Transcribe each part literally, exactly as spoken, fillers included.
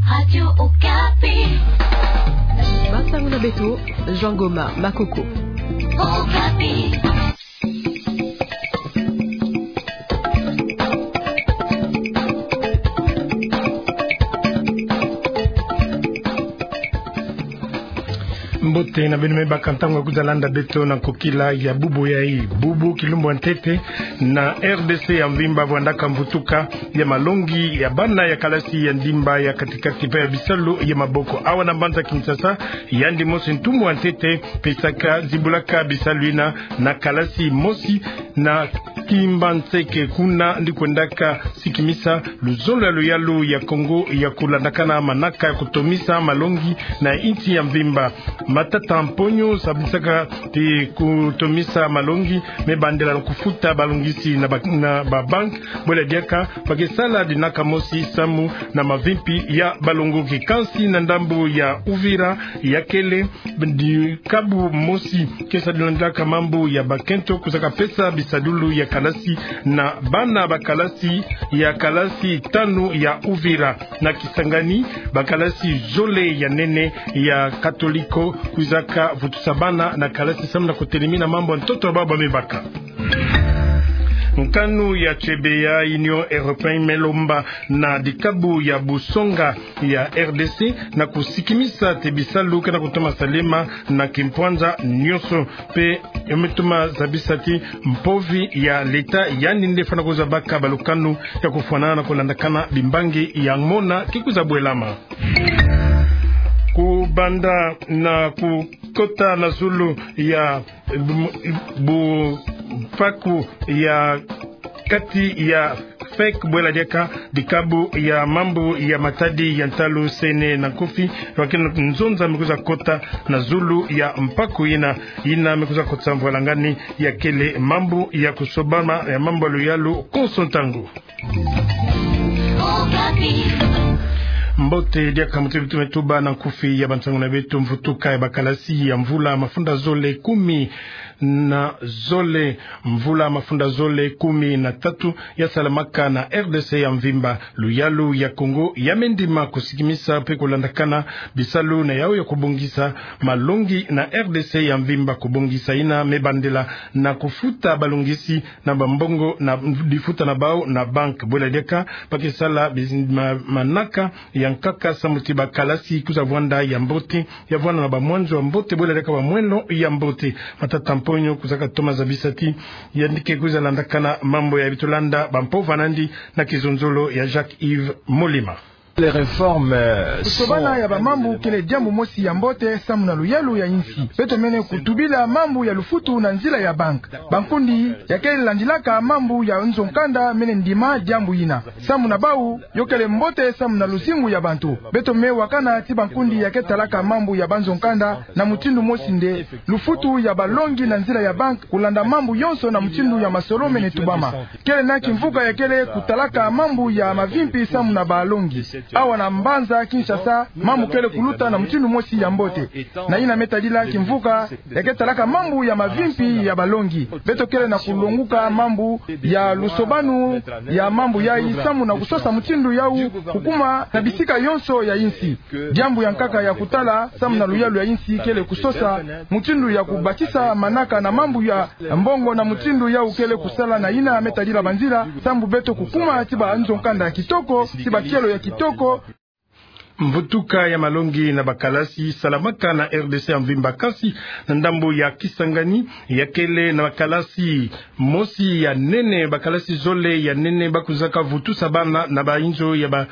Radio Okapi. Bansango na beto, Jean Goma Makoko. Okapi. Mbote na beno me baka ntango ya kwiza landa beto na nkokila ya bubu yayi. Bubu kilumbu ya ntete na R D C ya mvimba vwandaka mvutuka ya malongi ya bana ya kalasi ya ndimba ya katikati mpe ya bisalu ya maboko. Awa na mbanza Kinshasa, yandi mosi ntumbu ya ntete pesaka, zibulaka bisalu yina na kalasi mosi na Kimbanseke, kuna ndi kwendaka sikimisa luzolo ya luyalu ya Kongo ya kulandakana manaka ya kutomisa malongi na insi ya mvimba. Matata Mponyo sabisaka ti kutomisa malongi me bandela na kufuta balongisi na ba, na ba banque, bwela diaka ba ke sala dinaka mosi samu na mavimpi ya balongoki. Kansi na ndambu ya Uvira, ya kele dikabu mosi ke sadilandaka mambu ya bakento, kuzaka pesa bisadulu ya kalasi na bana ba kalasi ya kalasi tanu ya Uvira. Na Kisangani, ba kalasi zole ya nene ya katoliko kwizaka vutusa bana na kalasi samu na kutelemina mambu ya ntoto ya baba me baka. Nkanu ya tiebe ya Union Européenne me lomba na dikabu ya busonga ya R D C na kusikimisa ti bisalu ke na kutoma salema na kimpwanza nyonso. Mpe yo me toma zabisa ti mpovi ya leta yandi nde fwana kwiza baka balukanu ya kufwanana na kulandakana bimbangi ya mona ke kwiza bwelama. Kubanda na kukota na zulu ya bu, bu mpaku ya kati ya FEC, bwela diaka dikabu ya mambu ya matadi ya ntalu, Sene na Nkofi, wa ke na nzonza me kwiza kota na zulu ya mpaku yina, yina me kwiza kotisa mvwalangani ya kele mambu ya kusobama ya mambu ya luyalu konso ntangu. Mbote diaka muti beto me tuba na nkufi ya bansangu na beto. Mvutuka ya ba kalasi ya mvula mafunda zole kumi na zole, mvula mafunda zole kumi na tatu ya salamaka na R D C ya mvimba. Luyalu ya Kongo ya me ndima kusikimisa mpe kulandakana bisalu na yau ya kubongisa malongi na R D C ya mvimba. Kubongisa yina me bandela na kufuta balongisi na bambongo na difuta na bau na banque. Bwela diaka ba ke sala bizi-, ma-, manaka ya nkaka samu ti ba kalasi kwiza vwanda ya mbote, ya vwanda na bamwanzo ya mbote, bwela diaka bamwelo ya mbote. Matata Mponyo kwizaka toma zabisa ti yandi ke kwiza landakana mambu ya beto landa bampova na yandi na kizonzolo ya Jacques Yves Molema. Les réformes, euh, kusobana ya bamambu kele diambu mosi ya mbote samu na luyalu ya insi. Beto mene kutubila mambu ya lufutu na nzila ya banque. Bankundi ya ke landilaka mambu ya nzo-nkanda mene ndima diambu yina. Samu na bau, yo kele mbote samu na luzingu ya bantu. Beto me wakana ti bankundi ya ke talaka mambu ya banzo-nkanda na mutindu mosi nde lufutu ya balongi na nzila ya banque, kulanda mambu yonso na mutindu ya masolo mene tubama. Kele na kimvuka ya kele kutalaka mambu ya mavimpi samu na balongi. Awa na mbanza Kinshasa, mambu kele kuluta na mutindu mosi ya mbote. Na yina me tadila kimvuka ya ke talaka mambu ya mavimpi ya balongi. Beto kele na kulonguka mambu ya lusobanu ya mambu yayi samu na kusosa mutindu yau kukuma na bisika yonso ya insi. Diambu ya nkaka ya kutala samu na luyalu ya insi kele kusosa mutindu ya kubakisa manaka na mambu ya mbongo na mutindu yau kele kusala na yina me tadila banzila samu beto kukuma ti banzo-nkanda ya kitoko, ti bakielo ya kitoko. Mvutuka ya malongi na ba kalasi salamaka na R D C ya mvimba, kasi na ndambu ya Kisangani ya kele na ba kalasi mosi ya nene, ba kalasi zole ya nene ba kwizaka vutusa bana na bainzo ya ba,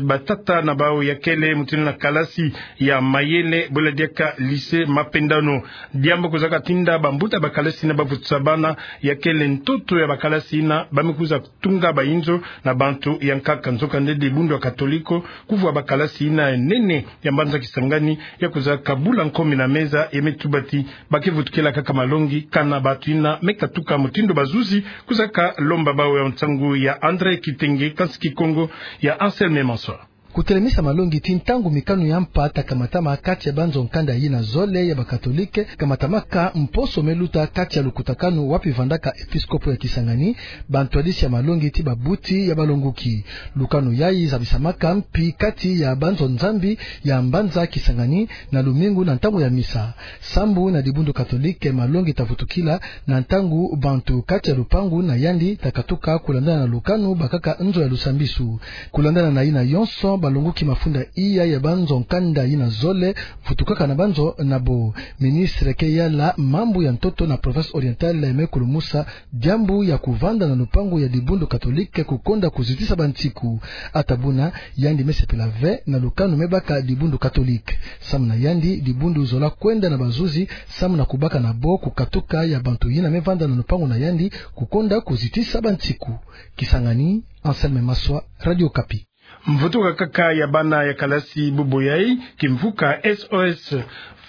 batata na bau, ya kele mutindu na kalasi ya mayele, bwela diaka lycée Mapendano. Diambu kwizaka tinda bambuta ba kalasi yina ba vutusa bana, ya kele ntoto ya ba kalasi yina ba me kwiza tunga bainzo na bantu ya nkaka. Nzokande dibundu ya katoliko kuvwa ba kalasi yina ya nene ya mbanza Kisangani ya kwizaka bula nkomi na meza, ya me tuba ti ba ke vutukila kaka malongi kana bantu yina me katuka mutindu bazuzi kwizaka lomba bau. Ya nsangu ya André Kitenge, kansi Kikongo ya Anselme Mansoir. Kutelemisa malongi ti ntangu mikanu ya mpa ta kamatama kati ya banzo nkanda yina zole ya bakatolike, kamatamaka mposo me luta kati ya lukutakanu wapi vandaka episkopo ya Kisangani, bantwadisi ya malongi ti babuti ya balonguki. Lukanu yayi zabisamaka mpi kati ya banzo nzambi ya mbanza Kisangani na lumingu na ntangu ya misa. Sambu na dibundu katolike malongi ta vutukila na ntangu bantu kati ya lupangu na yandi ta katuka kulandana na lukanu bakaka nzo ya lusambisu. Kulandana na yina yonso, balonguki mafunda iya ya banzo nkanda yina zole vutukaka na banzo na bo. Ministre ke yala mambu ya ntoto na province orientale me kulumusa diambu ya kuvanda na lupangu ya dibundu katolike kukonda kuzitisa bansiku. Ata buna, yandi me sepela ve na lukanu me baka dibundu katolike. Samu na yandi, dibundu zola kwenda na bazuzi samu na kubaka na bo kukatuka ya bantu yina me vanda na lupangu na yandi kukonda kuzitisa bansiku. Kisangani, Anselme Maswa, Radio Okapi. Mvutuka kaka ya bana ya kalasi bubu yayi, kimvuka S O S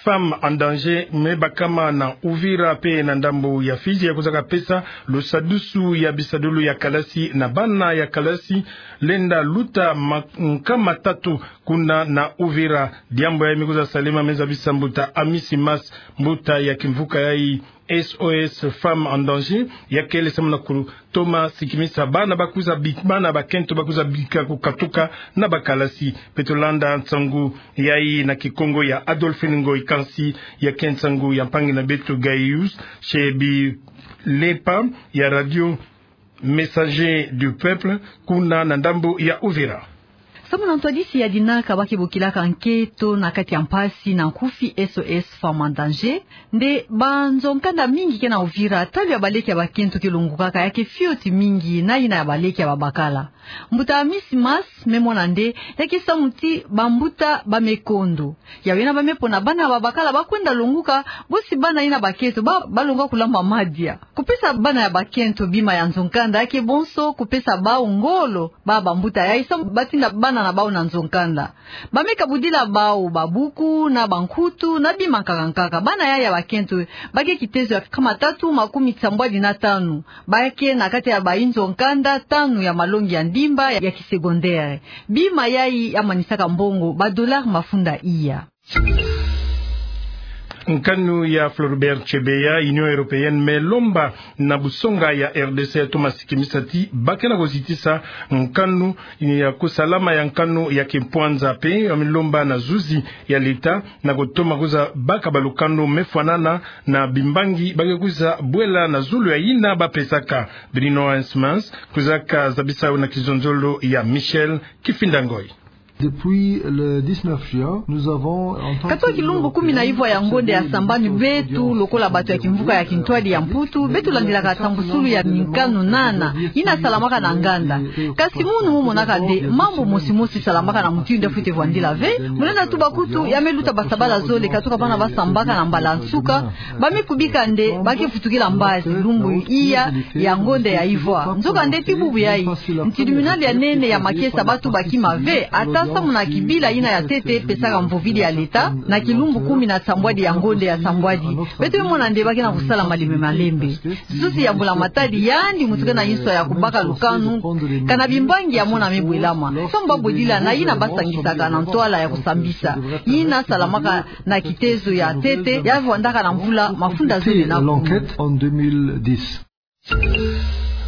Femmes en Danger me bakama na Uvira pe na ndambu ya Fidji ya kwiza kapesa lusadusu ya bisadulu ya kalasi na bana ya kalasi lenda luta ma-, nkama tatu kuna na Uvira. Diambu yayi me kwiza salema me zabisa mbuta Amisi Mas, mbuta ya kimvuka yayi S O S Femmes en Danger, ya kele samu na kutoma sikimisa bana ba kwiza bi-, bana bakento ba kwiza bika kukatuka na bakalasi. Beto landa nsangu yayi na Kikongo ya Adolphine Ngoyi, kansi ya ke nsangu ya mpangi na beto Gaius Shebi Lepa ya Radio Messager du Peuple, kuna na ndambu ya Uvira. Samu na ntwadisi ya dinaka ba ke bokilaka nkento na kati ya mpasi na nkufi S O S Femmes en Danger, nde banzo nkanda mingi ke na Uvira, talu ya baleke ya bakento ke longukaka, ya ke fioti mingi na yina ya baleke ya babakala. Mbuta Amisi Mas me mona nde ya ke samu ti bambuta ba me kondo. Ya wena ba me pona bana ya babakala ba kwenda longuka, bosi bana yina bakento ba, ba longa kulamba madia. Kupesa bana ya bakento bima ya nzo nkanda ya ke bonso kupesa bau ngolo ba bambuta yayi samu ba tinda bana na bau na nzo nkanda. Ba me kabudila bau babuku na bankutu na bima nkaka-nkaka. Bana yayi ya bakento ba ke kitezo ya nkama tatu makumi sambwadi na tanu. Ba ke na kati ya bayi nzo nkanda tanu ya malongi ya ndimba ya kisecondaire. Bima yayi ya manisaka mbongo ba dollars mafunda iya. Nkanu ya Floribert Chebeya, Union Européenne me lomba na busonga ya R D C toma sikimisa ti ba ke na kuzitisa nkanu ya kusalama ya nkanu ya kimpwanza, pe ya me lomba na zuzi ya leta na kutoma kwiza baka balukanu me fwanana na bimbangi ba ke kwiza bwela na zulu ya yina ba pesaka. Bruno Heismans kwiza kazabisa na kizonzolo ya Michel Kifinda Ngoyi. Depuis le dix-neuf juin, nous avons entendu... Katoka kilumbu kumi na ivwa ya ngonde ya sambanu, beto lokola bato ya kimvuka ya kintwadi ya Mputu, beto landilaka tambusulu ya minkanu nana yina salamaka na nganda. Kasi munu mo monaka nde mambu mosi-mosi salamaka na mutindu nde fwete vwandila ve. Mu lenda tuba kutu, ya me luta basabala zole katoka bana ba sambaka na mbala nsuka, ba me kubika nde ba ke vutukila mbazi lumbu iya ya ngonde ya ivwa. Nzokande ti bubu yayi, ntribunal ya nene ya makesa ba tuba kima ve, ata samu na kibila yina ya ntete pesaka mvovidi ya leta na kilumbu kumi na sambwadi ya ngonde ya sambwadi. Beto me mona nde ba ke na kusala malembe-malembe. Zuzi ya mbula-matadi, yandi mutu ke na inswa ya kubaka lukanu, kana bimbangi ya mona me bwelama. Samu ba bwedila na yina ba sangisaka na ntwala ya kusambisa, yina salamaka na kitezo ya ntete, ya vwandaka na mvula mafunda zole na kumi. L'enquête en deux mille dix.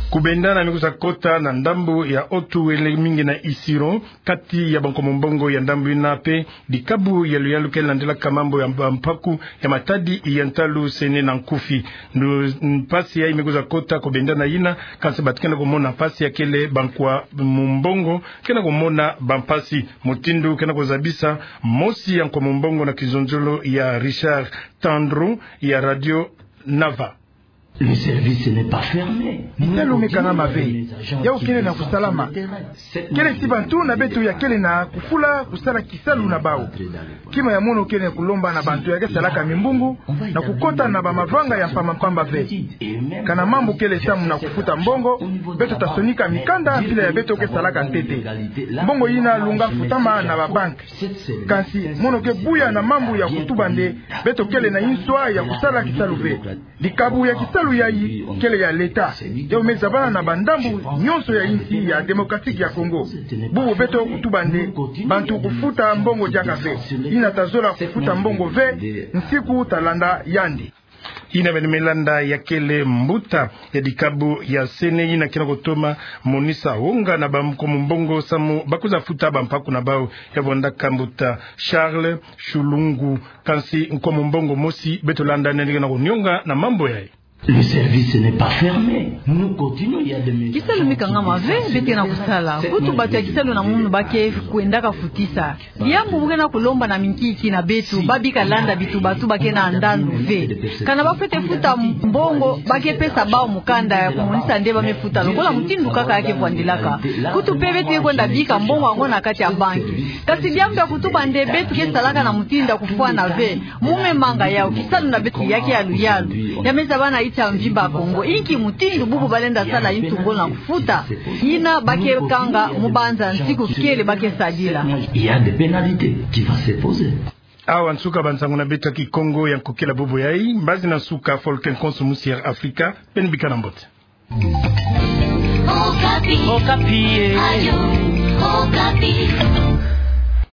Kubendana me kwiza kota na ndambu ya Haut-Uele, mingi na Isiro, kati ya ba Nkomo Mbongo ya ndambu yina pe dikabu ya luyalu ke landilaka mambu ya mpaku ya matadi ya ntalu sene na nkufi. Ndu-, mpasi yayi me kwiza kota kubendana yina, kansi bato ke na kumona mpasi ya kele ba Nkomo Mbongo ke na kumona bampasi. Mutindu ke na kuzabisa mosi ya Nkomo Mbongo na kizonzolo ya Richard Tandro ya Radio Nava. Le service n'est pas fermé. Kitalu me kangama ve. Yau kele na kusalama. Kele ti bantu na beto ya kele na kufula kusala kisalu na bau. Kima ya mono kele kulomba na bantu ya ke salaka mimbungu na kukota na bamavanga ya mpamba-mpamba ve. Kana mambu kele samu na kufuta mbongo, beto ta sonika mikanda mpila ya beto ke salaka ntete. Mbongo yina lunga futama na babanki. Kansi mono ke buya na mambu ya kutuba nde beto kele na inswa ya kusala kisalu ve. Dikabu ya kisalu Yayi kele ya leta, yau me zabala na bandambu nyonso ya insi ya Démocratique ya Congo. Bubu beto kutuba nde bantu kufuta mbongo diaka ve. Yina tazola kufuta mbongo ve, nsiku talanda yandi. Yina beno me landa ya kele mbuta ya dikabu ya C E N I yina ke na kutoma monisa wonga na bankomo mbongo samu bakwiza futa bampaku na bau. Ya vwandaka mbuta Charles Shulungu. Kansi nkomo mbongo mosi beto landa nani ke na kunionga na mambu yayi. Le service n'est pas fermé. Nous continuons, il y a des maisons. Kisalu mi kangama ve, beto ke na kusala. Kutu bantu ya kisalu na munu ba ke kwendaka futisa. Diambu bu ke na kulomba na minkiki na beto, ba bika landa bituba-tuba ke na ndandu ve. Kana ba fwete futa mbongo, ba ke pesa bau mukanda ya kumonisa nde ba me futa, lokola mutindu kaka ya ke vwandilaka. Kutu mpe beto ke kwenda bika mbongo yango na kati ya banki. Kasi diambu ya kutuba nde beto ke salaka na mutindu ya kufwana ve. Mu me manga yau, kisalu na beto ya ke yalu-yalu. Ya me zabala na nsi ya mvimba Kongo. Inki mutindu bubu ba lenda sala yintu ngolo na kufuta? Yina ba ke kanga mu banza nsiku kele ba ke sadila. Il y a des pénalités qui vont se poser. Awa nsuka bansangu na beto ya Kikongo ya nkokila bubu yayi. Mbazi na nsuka, Folke Nkonso, musi Air Afrika. Beno bika na mbote. Okapi. Okapi, eh. Ayo, Okapi.